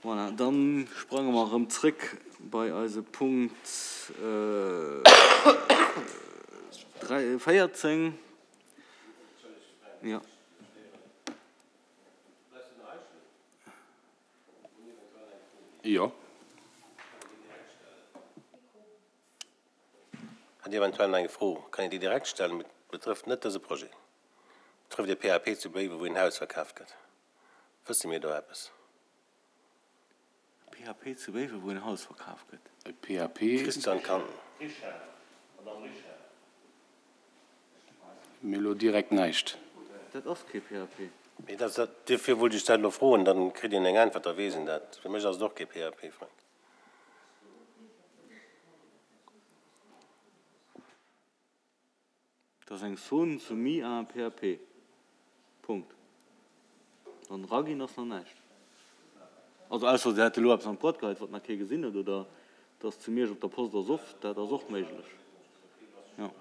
Voilà, dann sprange mer erëm zréck bei eise Punkt 14. Jo. Jo. Hätt eventuell nach eng Fro, kann een déi direkt stellen, betrëfft net dëse Projet, betrëfft ee PAP zu Béiwen, wou een Haus verkaaft gëtt. Wësse mir do eppes? E PAP zu Béiwen, wou en Haus verkaf gëtt. E PAP. Christian kann. Richard, Madame Richard. Mir elo direkt näischt. Dat ass kee PAP. Mee dat, dat, duerfir wollt ech dat elo froen, dann kritt een eng Äntwert, da weess een dat. Fir mech ass et och kee PAP, Frank. Dat ass eng Zone soumise à un PAP. Punkt. An eraginn ass nach näischt. Also ausser se hätte elo eppes an d'Boîte geheit, wat nach kee gesinn huet, oder et ass zu Miersch op der Post ersoff, dat ass och méiglech, jo.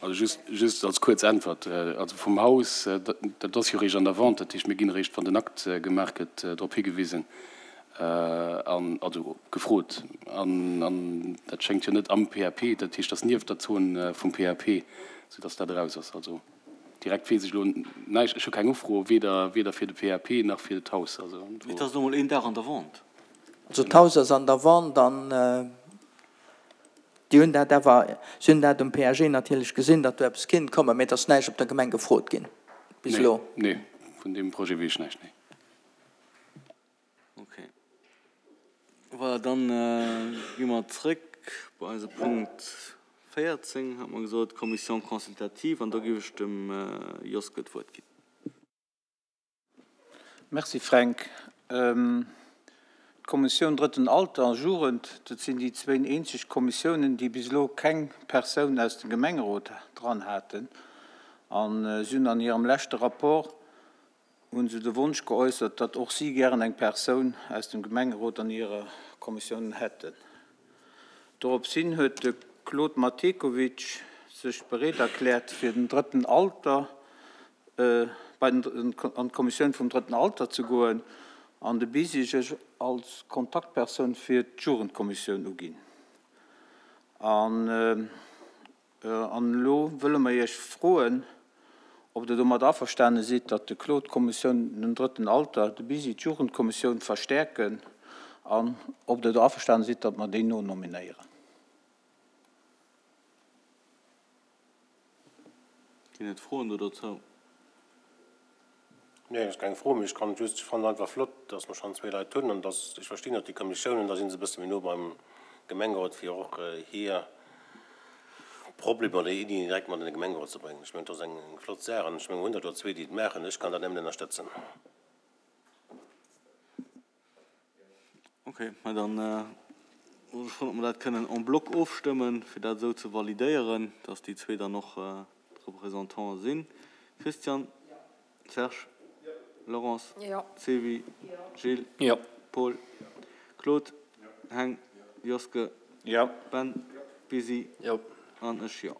Also just, just als kuerz Äntwert, also vum Haus, dat ass jo eréischt an der Vente, dat heescht, mir ginn eréischt, wann den Akt gemaach gëtt, drop higewisen an, also gefrot. An, an dat schéngt jo net am PAP, dat heescht, dat ass nieft der Zon vum PAP, soudass dat eraus ass. Also direkt weess ech elo näischt, ech hu keng Ufro, weder, weder fir de PAP nach fir d'Haus. Also do. Et ass elo mol een Dag an der Vente. Also d'Haus ass an der Vente an Déi hunn dat awer, si hunn dat um PAG natierlech gesinn, datt do eppes kinnt kommen, mee et ass näischt op der Gemeng gefrot ginn bis elo. Nee, vun deem Projet weess ech näischt, nee. Ok. Voilà, dann gi mer zrëck bei eise Punkt 14, hat mer gesot, Commission consultative, an do géif ech dem Joske d'Wuert ginn. Merci Fränk. D'Kommissioun Drëtten Alter a Jugend, dat sinn déi zwéin eenzeg Kommissiounen, déi bis elo keng Persoun aus dem Gemengerot dran haten. A si hunn an hirem leschte Rapport hu se de Wonsch geäussert, datt och si gären eng Persoun aus dem Gemengerot an hirer Kommissioun hätten. Dorops hin huet de Claude Matekovic sech bereet erkläert, fir den Drëtten Alter bei den an d'Kommissioun vum Drëtten Alter ze goen an de Bisi sech als Kontaktpersoun fir d'Jugendkommissioun uginn. An an elo wëlle mer Iech froen, ob Der domat averstane sidd, datt de Claude d'Kommissioun den Drëtten Alter, de Bisi d'Jugendkommissioun verstäerken an ob Der do averstane sidd, datt mer déi nonominéieren. Ginn et Froen do dozou? Nee, ass keng Fro, mee ech kann just, ech fannen einfach flott, dass mer schonn zwéi Leit hunn an dass, ech verstinn och déi Kommissiounen, da si se e bësse méi no beim Gemengerot, fir och hir Problemer oder Iddien direkt mat an de Gemengerot ze bréngen. Ech mengen, dat ass eng flott Saach an ech mengen, mer hunn der do zwee, déi et maachen. Ech kann dat nëmmen ënnerstëtzen. Ok, mä dann wollt ech froen, ob mer dat kënnen en bloc ofstëmmen, fir dat esou ze validéieren, dass déi zwee dann och d'Représentante sinn. Christian? Serge? Laurence? Sylvie? Gilles? Paul? Claude? Heng? Joske? Ben? Busy? An ech, jo.